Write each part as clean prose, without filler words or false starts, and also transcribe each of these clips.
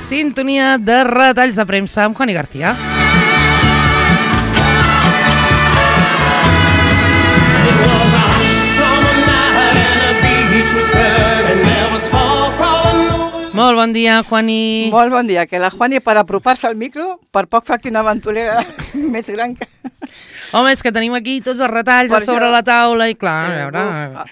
Sintonia de retalls de premsa amb Juani García. Molt bon dia, Juani. Molt bon dia, que la Juani per apropar-se al micro, per poc fa que una aventurera més gran que... Home, és que tenim aquí tots els retalls a sobre la taula i clar, a veure...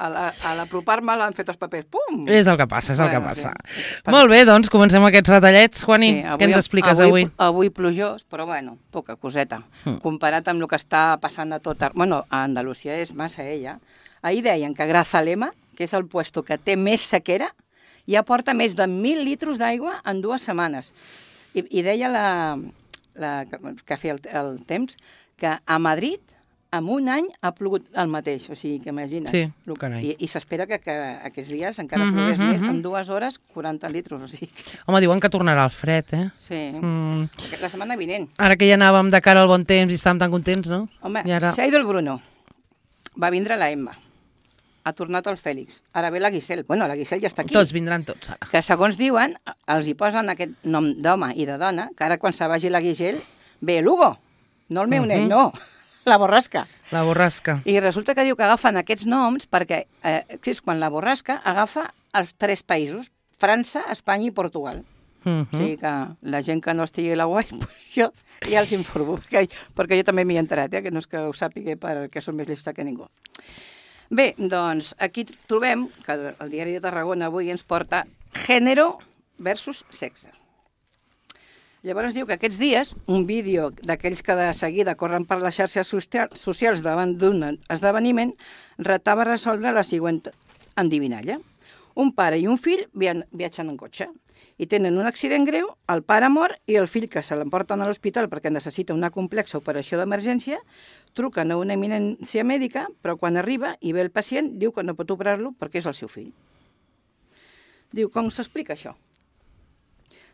A l'apropar-me l'han fet els papers, pum! És el que passa, és el que passa. Molt bé, doncs comencem aquests retallets. Juani, què ens expliques avui? Avui plujós, però bueno, poca coseta. Comparat amb el que està passant a tot... Bueno, a Andalusia és massa ella. Ahir deien que Grazalema, que és el puesto que té més sequera, ja porta més de 1.000 litres d'aigua en 2 setmanes. I deia que feia el temps que a Madrid en un any ha plogut el mateix, o sigui que imagina't. Sí, carai. I s'espera que aquests dies encara plogués més, en 2 hores 40 litres, o sigui que... Home, diuen que tornarà el fred, eh? Sí, la setmana vinent. Ara que ja anàvem de cara al bon temps i estàvem tan contents, no? Home, s'ha ido el Bruno, va vindre la Emma, ha tornat el Fèlix, ara ve la Guisel. Bueno, la Guisel ja està aquí. Tots vindran tots, ara. Que segons diuen, els hi posen aquest nom d'home i de dona, que ara quan se vagi la Guisel, ve l'Hugo. No el meu net, no, la borrasca. La borrasca. I resulta que diu que agafen aquests noms perquè és quan la borrasca agafa els 3 països, França, Espanya i Portugal. O sigui que la gent que no estigui a la UAI, jo ja els informo, perquè jo també m'hi he enterat, que no és que ho sàpiga perquè som més llesta que ningú. Bé, doncs aquí trobem que el Diari de Tarragona avui ens porta gènere versus sexe. Llavors diu que aquests dies, un vídeo d'aquells que de seguida corren per les xarxes socials davant d'un esdeveniment retava resoldre la següent endivinalla. Un pare i un fill viatgen en cotxe i tenen un accident greu, el pare mor i el fill, que se l'emporten a l'hospital perquè necessita una complexa operació d'emergència, truquen a una eminència mèdica, però quan arriba i ve el pacient diu que no pot operar-lo perquè és el seu fill. Diu, com s'explica això?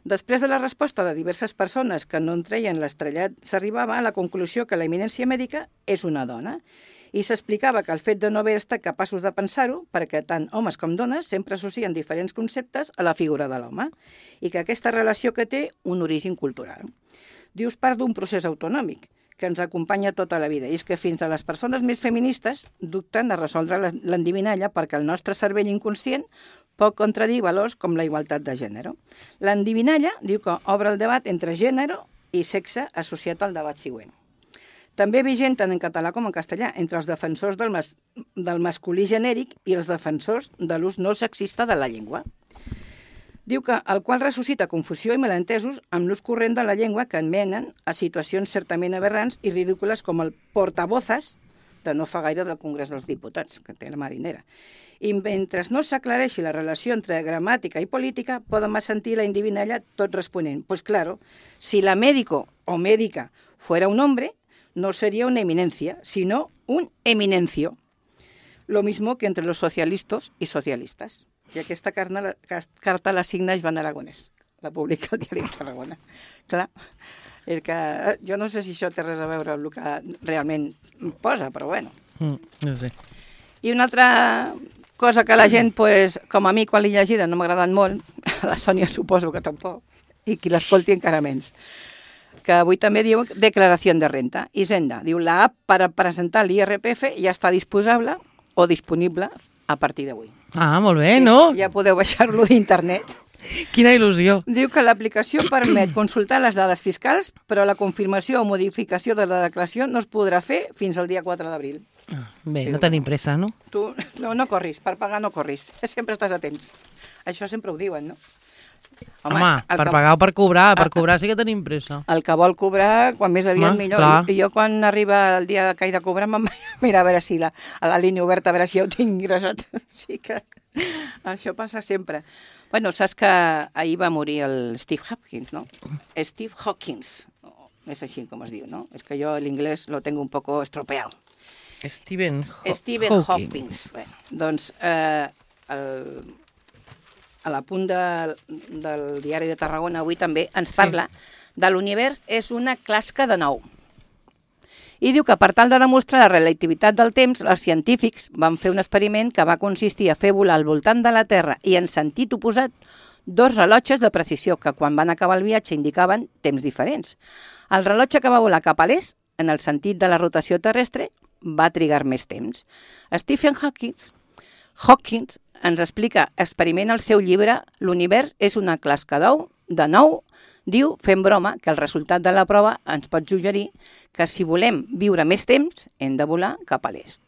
Després de la resposta de diverses persones que no en treien l'estrellat, s'arribava a la conclusió que la eminència mèdica és una dona i s'explicava que el fet de no haver estat capaços de pensar-ho, perquè tant homes com dones sempre associen diferents conceptes a la figura de l'home i que aquesta relació que té un origen cultural. Dius part d'un procés autonòmic que ens acompanya tota la vida i és que fins a les persones més feministes dubten a resoldre l'endivinalla perquè el nostre cervell inconscient pot contradir valors com la igualtat de gènere. L'endivinalla diu que obre el debat entre gènere i sexe associat al debat següent. També vigent tant en català com en castellà entre els defensors del masculí genèric i els defensors de l'ús no sexista de la llengua. Diu que el qual ressuscita confusió i malentesos amb l'ús corrent de la llengua que enmenen a situacions certament aberrants i ridícules com el portavozes de no fa gaire del Congrés dels Diputats, que té la marinera. I mentre no s'aclareixi la relació entre gramàtica i política, podem sentir la endivinalla tot responent. Pues claro, si la médico o médica fuera un hombre, no sería una eminencia, sino un eminencio. Lo mismo que entre los socialistas y socialistas. I aquesta carta la signa Joan Aragonès, la publica al Diari de Tarragona. Clar, que jo no sé si això té res a veure amb el que realment posa, però bueno. No sé. I una altra cosa que la gent, com a mi, quan l'he llegida, no m'ha agradat molt, a la Sònia suposo que tampoc, i qui l'escolti encara menys, que avui també diu declaració de renta. Hisenda diu la app per a presentar l'IRPF ja està disponible a partir d'avui. Ah, molt bé, no? Ja podeu baixar-lo d'internet. Quina il·lusió. Diu que l'aplicació permet consultar les dades fiscals, però la confirmació o modificació de la declaració no es podrà fer fins al dia 4 d'abril. Bé, no tenim pressa, no? Tu no corris, per pagar no corris, sempre estàs a temps. Això sempre ho diuen, no? Home, per pagar o per cobrar sí que tenim pressa. El que vol cobrar, quan més aviat millor. I jo quan arriba el dia que he de cobrar, me'n mira a veure si a la línia oberta, a veure si ja ho tinc ingressat. Sí que això passa sempre. Bueno, saps que ahir va morir el Steve Hopkins, no? Steve Hawkins, és així com es diu, no? És que jo l'inglès lo tengo un poco estropeado. Stephen Hawkins. Bueno, doncs a la punt del Diari de Tarragona avui també ens parla de l'univers és una clasca de nou. I diu que per tal de demostrar la relativitat del temps, els científics van fer un experiment que va consistir a fer volar al voltant de la Terra i en sentit oposat 2 rellotges de precisió que quan van acabar el viatge indicaven temps diferents. El rellotge que va volar cap a l'est, en el sentit de la rotació terrestre, va trigar més temps. Stephen Hawking ens explica experiment al seu llibre L'univers és una clasca d'ou, de nou. Diu, fent broma, que el resultat de la prova ens pot suggerir que si volem viure més temps, hem de volar cap a l'est.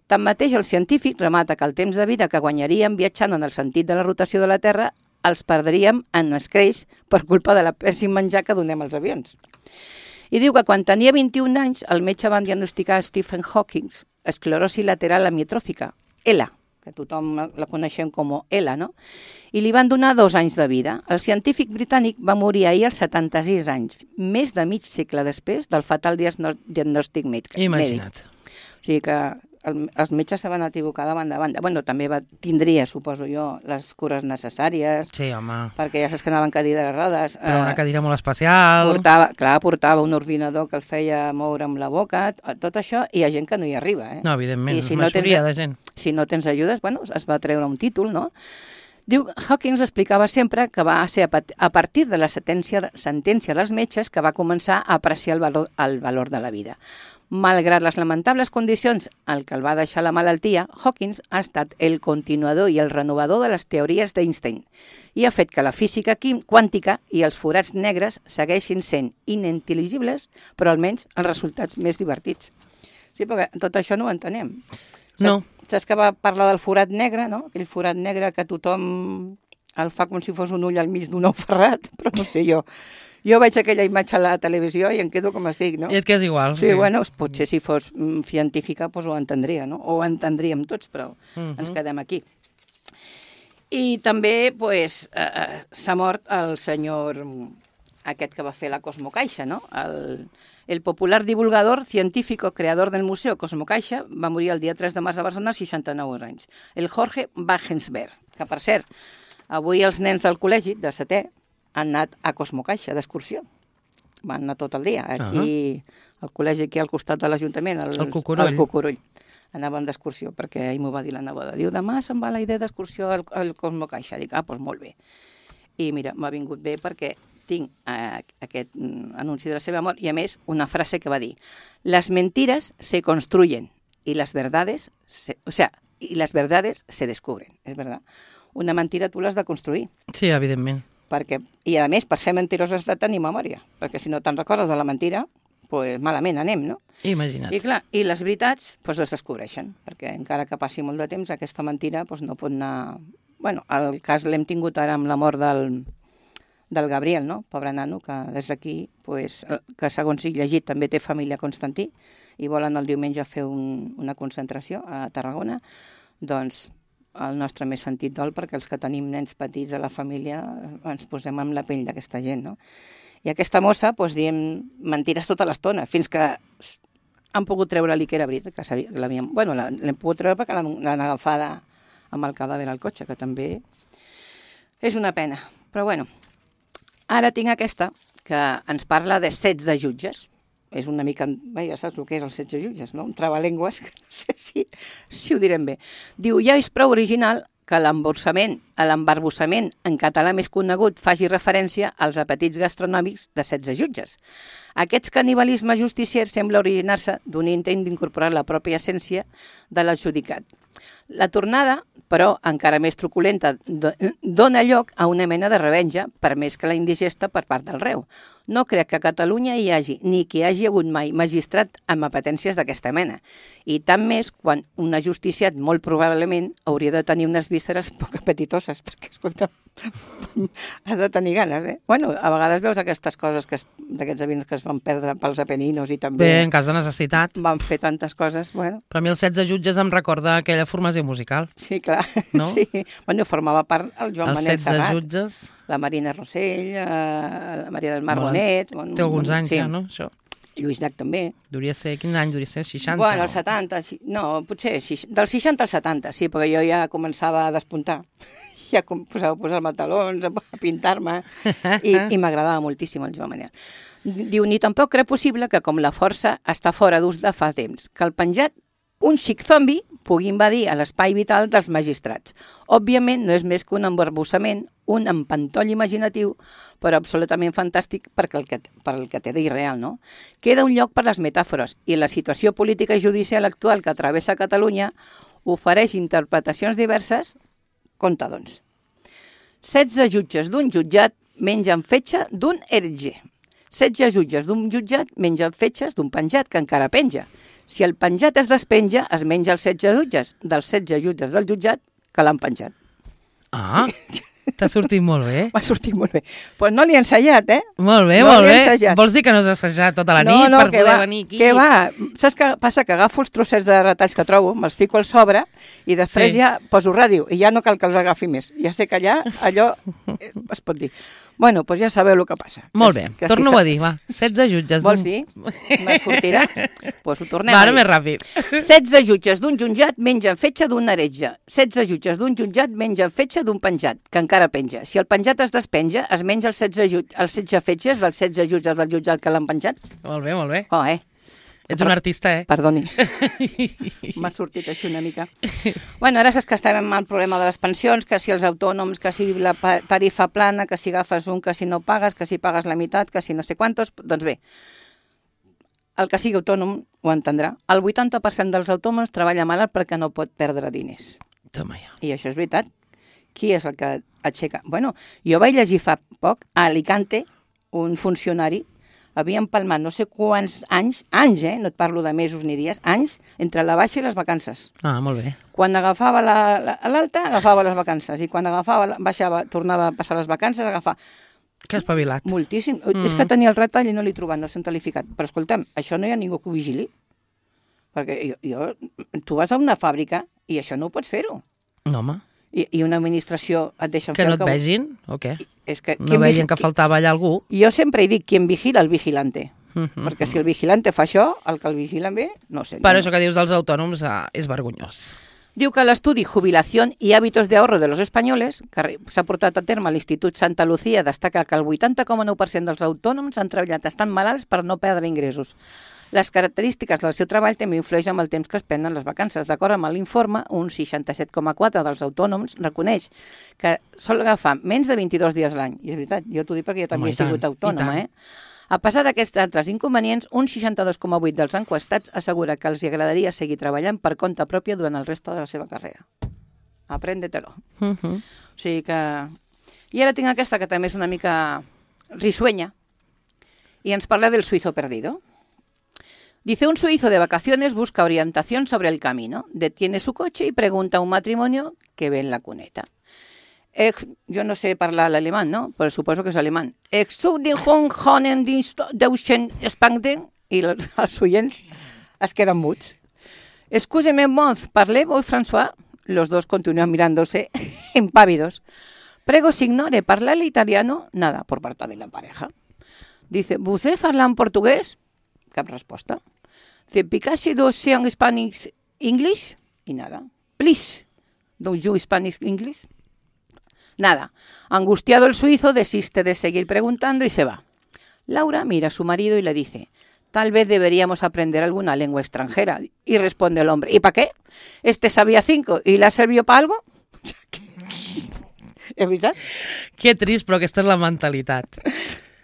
Tanmateix, el científic remata que el temps de vida que guanyaríem viatjant en el sentit de la rotació de la Terra els perdríem en escreix per culpa de la pèssim menjar que donem als avions. I diu que quan tenia 21 anys, el metge va diagnosticar a Stephen Hawking esclerosi lateral amitròfica, ELA, que tothom la coneixem com ELA, no? I li van donar 2 anys de vida. El científic britànic va morir ahir als 76 anys, més de mig segle després del fatal diagnòstic mèdic. Imagina't. O sigui que els metges se van equivocar de banda a banda. Bueno, també tindria, suposo jo, les cures necessàries. Sí, home. Perquè ja saps que anava en cadira de rodes. Però una cadira molt especial. Portava un ordinador que el feia moure amb la boca, tot això, i hi ha gent que no hi arriba. No, evidentment, si majoria de gent. Si no tens ajudes, bueno, es va treure un títol, no? Diu, Hawking explicava sempre que va ser a partir de la sentència dels metges que va començar a apreciar el valor de la vida. Malgrat les lamentables condicions en què el va deixar la malaltia, Hawking ha estat el continuador i el renovador de les teories d'Einstein i ha fet que la física quàntica i els forats negres segueixin sent inintel·ligibles, però almenys els resultats més divertits. Sí, perquè tot això no ho entenem. No. Saps que va parlar del forat negre, no? Aquell forat negre que tothom el fa com si fos un ull al mig d'un ou ferrat, però no sé jo. Jo veig aquella imatge a la televisió i em quedo com estic, no? I et quedes igual. Sí, bueno, potser si fos científica doncs ho entendria, no? O ho entendríem tots, però ens quedem aquí. I també s'ha mort el senyor aquest que va fer la Cosmocaixa, no? El popular divulgador científico creador del Museo Cosmocaixa va morir el dia 3 de març a Barcelona als 69 anys. El Jorge Wagensberg, que per cert, avui els nens del col·legi, de 7è, han anat a Cosmocaixa d'excursió. Van anar tot el dia. Aquí, al col·legi aquí al costat de l'Ajuntament, el Cucurull. Anaven d'excursió, perquè ahir m'ho va dir la neboda. Diu, demà se'n va la idea d'excursió al Cosmocaixa. Dic, doncs molt bé. I mira, m'ha vingut bé perquè tinc aquest anunci de la seva mort i, a més, una frase que va dir: les mentiras se construyen y las verdades se descubren. És verdad. Una mentira tu l'has de construir. Sí, evidentment. I, a més, per ser mentirós has de tenir memòria, perquè si no te'n recordes de la mentira, doncs malament anem, no? Imagina't. I clar, i les veritats es descobreixen, perquè encara que passi molt de temps, aquesta mentira no pot anar... Bueno, el cas l'hem tingut ara amb la mort del Gabriel, no? Pobre nano, que des d'aquí, que segons he llegit també té família a Constantí i volen el diumenge fer una concentració a Tarragona, doncs el nostre més sentit dol, perquè els que tenim nens petits a la família ens posem amb la pell d'aquesta gent, no? I aquesta mossa, diem mentires tota l'estona, fins que han pogut treure-li que era veritat, que l'havíem... Bueno, l'hem pogut treure perquè l'han agafada amb el cadàver al cotxe, que també és una pena. Però bueno, ara tinc aquesta, que ens parla de 16 jutges. És una mica... Ja saps el que és els 16 jutges, no? Un trabalengües, que no sé si ho direm bé. Diu, ja és prou original que l'embarbussament en català més conegut faci referència als apetits gastronòmics de 16 jutges. Aquest canibalisme justicier sembla originar-se d'un intent d'incorporar la pròpia essència de l'adjudicat. La tornada, però encara més truculenta, dona lloc a una mena de revenja, per més que la indigesta per part del reu. No crec que a Catalunya hi hagi, ni que hi hagi hagut mai, magistrat amb apetències d'aquesta mena. I tant més quan un ajusticiat molt probablement hauria de tenir unes vísceres poc apetitoses, perquè, escolta, has de tenir ganes, eh? Bueno, a vegades veus aquestes coses d'aquests avions que es van perdre pels Apeninos i també... Bé, en cas de necessitat. Van fer tantes coses, bueno... Però a mi els 16 jutges em recorda aquella formació musical. Sí, clar, no? Sí. Bueno, formava part el Joan Manel Serrat. Els 16 jutges... La Marina Rossell, la Maria del Mar Bonet... Té alguns anys ja, no, això? Lluís Llach també. Quin any duria ser? 60? Bueno, els 70, no, potser del 60 al 70, sí, perquè jo ja començava a despuntar. Ja posava a posar-me talons, a pintar-me, i m'agradava moltíssim el Joan Manel. Diu, ni tampoc crec possible que, com la força està fora d'ús de fa temps, que el penjat, un xic zombi, pugui invadir l'espai vital dels magistrats. Òbviament, no és més que un embarbussament, un empantoll imaginatiu, però absolutament fantàstic per el que té d'irreal, no? Queda un lloc per les metàfores, i la situació política i judicial actual que travessa Catalunya ofereix interpretacions diverses. Compte, doncs. 16 jutges d'un jutjat mengen fetge d'un herge. 16 jutges d'un jutjat mengen fetges d'un penjat que encara penja. Si el penjat es despenja, es menja els 16 jutges dels 16 jutges del jutjat que l'han penjat. Ah, sí. T'ha sortit molt bé. M'ha sortit molt bé. Pues no l'he ensajat, eh? Molt bé, no molt bé. Vols dir que no has assajat tota la nit per poder venir aquí? Que va. Saps què passa? Que agafo els trossets de retalls que trobo, me'ls fico al sobre i després ja poso ràdio i ja no cal que els agafi més. Ja sé que allà allò es pot dir. Bueno, doncs ja sabeu el que passa. Molt bé, torno-ho a dir, va. 16 jutges. Vols dir? Me sortirà? Doncs ho tornem a dir. Més ràpid. 16 jutges d'un jutjat mengen fetge d'un heretge. 16 jutges d'un jutjat mengen fetge d'un penjat, que encara penja. Si el penjat es despenja, es menja els 16 fetges dels 16 jutges del jutjat que l'han penjat. Molt bé, molt bé. Oh, Ets un artista, eh? Perdoni. M'ha sortit així una mica. Bueno, ara saps que estem amb el problema de les pensions, que si els autònoms, que si la tarifa plana, que si agafes un, que si no pagues, que si pagues la meitat, que si no sé quantos. Doncs bé, el que sigui autònom ho entendrà. El 80% dels autònoms treballa malalt perquè no pot perdre diners. Toma ja. I això és veritat. Qui és el que aixeca? Bueno, jo vaig llegir fa poc a Alicante un funcionari havia empalmat no sé quants anys, no et parlo de mesos ni dies, anys, entre la baixa i les vacances. Ah, molt bé. Quan agafava l'alta, agafava les vacances, i quan baixava, tornava a passar les vacances, agafava... Que espavilat. Moltíssim. És que tenia el retall i no l'he trobat, no s'ha talificat. Però escolta'm, això no hi ha ningú que ho vigili. Perquè tu vas a una fàbrica i això no ho pots fer-ho. No, home. I una administració et deixa fer el que... Que no et vegin, o què? No veien que faltava allà algú? Jo sempre he dit, qui em vigila, el vigilante. Perquè si el vigilante fa això, el que el vigilen bé, no sé. Però això que dius dels autònoms és vergonyós. Diu que l'estudi Jubilación y hábitos de ahorro de los españoles, que s'ha portat a terme a l'Institut Santa Lucía, destaca que el 80,9% dels autònoms han treballat estant malalts per no perdre ingressos. Les característiques del seu treball també influeixen amb el temps que es prenen les vacances. D'acord amb l'informe, un 67,4% dels autònoms reconeix que sol agafar menys de 22 dies l'any. I és veritat, jo t'ho dic perquè jo també he sigut autònoma, A pesar d'aquests altres inconvenients, un 62,8% dels enquestats assegura que els agradaria seguir treballant per compte pròpia durant el reste de la seva carrera. Apréndetelo. O sigui que... I ara tinc aquesta que també és una mica risueña i ens parla del suizo perdido. Dice, un suizo de vacaciones busca orientación sobre el camino, detiene su coche y pregunta a un matrimonio que ve en la cuneta. Jo no sé parlar l'alemany, no? Però suposo que és alemany. I els oients es queden muts. Excúseme, Mons, parlez-vous François? Los dos continúan mirándose impávidos. Prego si ignore parlar el italiano. Nada, por parte de la pareja. Dice, ¿vostè parla en portuguès? Cap resposta. Dice, Picasso do sean Spanish English? Y nada. Please, don't you Spanish English? Nada. Angustiado el suizo desiste de seguir preguntando y se va. Laura mira a su marido y le dice, tal vez deberíamos aprender alguna lengua extranjera. Y responde el hombre, ¿y para qué? Este sabía 5 y le ha servido para algo. És veritat? Que trist, però aquesta és la mentalitat.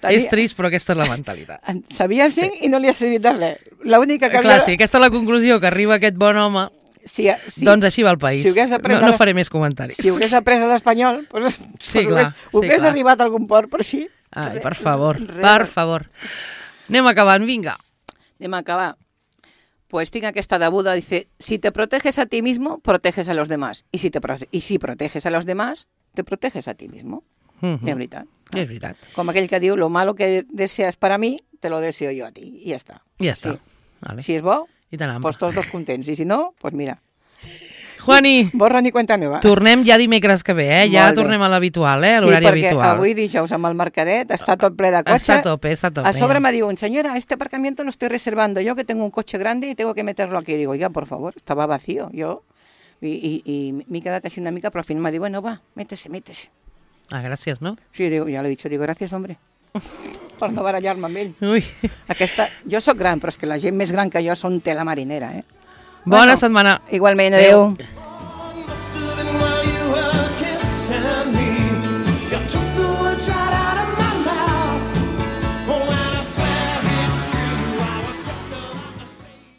És trist, però aquesta és la mentalitat. Sabia 5 i no li ha servit de res. L'única que Clar, sí, aquesta és la conclusió, que arriba aquest bon home. Sí, doncs així va el país. Si no faré més comentaris. Si hagués après l'espanyol, hagués arribat a algun port, però sí. Ai, per favor, per favor. Anem acabant, vinga. Anem a acabar. Pues tinc aquesta debuda, dice, si te proteges a ti mismo, proteges a los demás. Y si proteges a los demás, te proteges a ti mismo. És veritat. És veritat. Com aquell que diu, lo malo que deseas para mí, te lo deseo yo a ti. I ja està. Ja està. Vale. Si és bo, pues tots dos contents. I si no, pues mira. Juani, borra ni cuenta nova. Tornem ja dimecres que ve, Ja tornem a l'habitual, a l'horari habitual. Sí, perquè avui dijous amb el mercadet està tot ple de cotxe. Està a tope. A sobre me diuen, señora, este aparcamiento lo estoy reservando yo, que tengo un coche grande y tengo que meterlo aquí. Digo, ya, por favor, estaba vacío. Yo, y m'he quedat així una mica, però al final m'ha dit, bueno, va, métese. Ah, gràcies, no? Sí, digo, ya lo he dicho, digo, gracias, hombre. per no barallar-me amb ell. Ui. Jo sóc gran, però és que la gent més gran que jo són tela marinera, Bona setmana. Igualment, adeu.